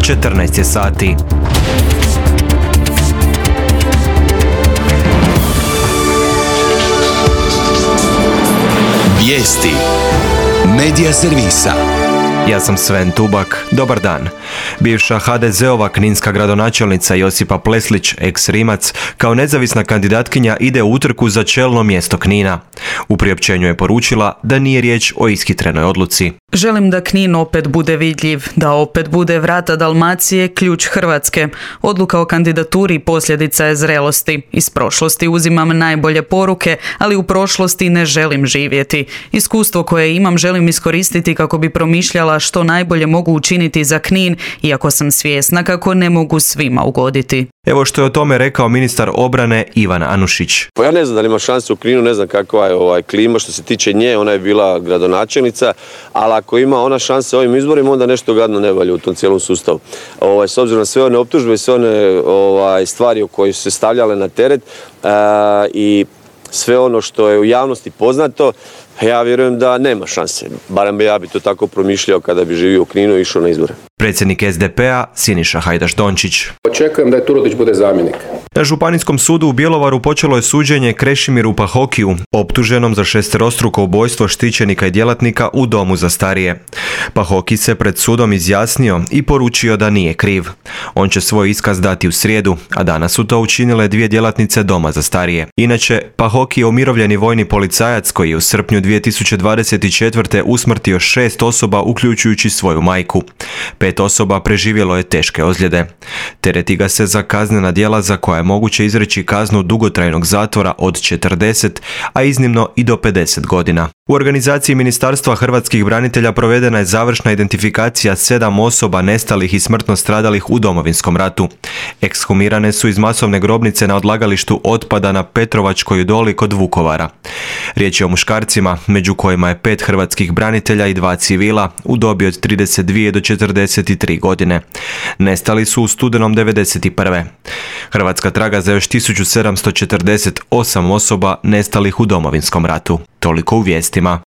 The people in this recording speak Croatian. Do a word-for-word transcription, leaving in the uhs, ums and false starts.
četrnaest je sati. Vijesti Medija servisa. Ja sam Sven Tubak. Dobar dan. Bivša ha de zeova kninska gradonačelnica Josipa Pleslić, ex-Rimac, kao nezavisna kandidatkinja ide u utrku za čelno mjesto Knina. U priopćenju je poručila da nije riječ o ishitrenoj odluci. Želim da Knin opet bude vidljiv, da opet bude vrata Dalmacije, ključ Hrvatske. Odluka o kandidaturi posljedica je zrelosti. Iz prošlosti uzimam najbolje poruke, ali u prošlosti ne želim živjeti. Iskustvo koje imam želim iskoristiti kako bi promišljala što najbolje mogu učiniti za Knin, iako sam svjesna kako ne mogu svima ugoditi. Evo što je o tome rekao ministar obrane Ivan Anušić. Pa ja ne znam da li ima šanse u Kninu, ne znam kakva je ovaj klima što se tiče nje, ona je bila gradonačelnica, ali ako ima ona šanse ovim izborima, onda nešto gadno ne valja u tom cijelom sustavu. Ovaj, s obzirom na sve one optužbe i sve one ovaj, stvari o koje su se stavljale na teret a, i sve ono što je u javnosti poznato, ja vjerujem da nema šanse. Barem bi ja bi to tako promišljao kada bi živio u Kninu i išao na izbore. Predsjednik es de pe a Siniša Hajdaš Dončić. Očekujem da je Turudić bude zamjenik. Na Županijskom sudu u Bjelovaru počelo je suđenje Krešimiru Pahokiju, optuženom za šesterostruko ubojstvo štićenika i djelatnika u domu za starije. Pahoki se pred sudom izjasnio i poručio da nije kriv. On će svoj iskaz dati u srijedu, a danas su to učinile dvije djelatnice doma za starije. Inače, Pahoki je umirovljeni vojni policajac koji je u srpnju dvije tisuće dvadeset četvrte usmrtio šest osoba uključujući svoju majku. Pet osoba preživjelo je teške ozljede. Tereti ga se za kaznena djela za koja je moguće izreći kaznu dugotrajnog zatvora od četrdeset, a iznimno i do pedeset godina. U organizaciji Ministarstva hrvatskih branitelja provedena je završna identifikacija sedam osoba nestalih i smrtno stradalih u Domovinskom ratu. Ekshumirane su iz masovne grobnice na odlagalištu otpada na Petrovačkoj doli kod Vukovara. Riječ je o muškarcima, među kojima je pet hrvatskih branitelja i dva civila u dobi od trideset dvije do četrdeset tri godine. Nestali su u studenom devedeset prve. Hrvatska traga za još tisuću sedamsto četrdeset osam osoba nestalih u Domovinskom ratu. Toliko u vijestima.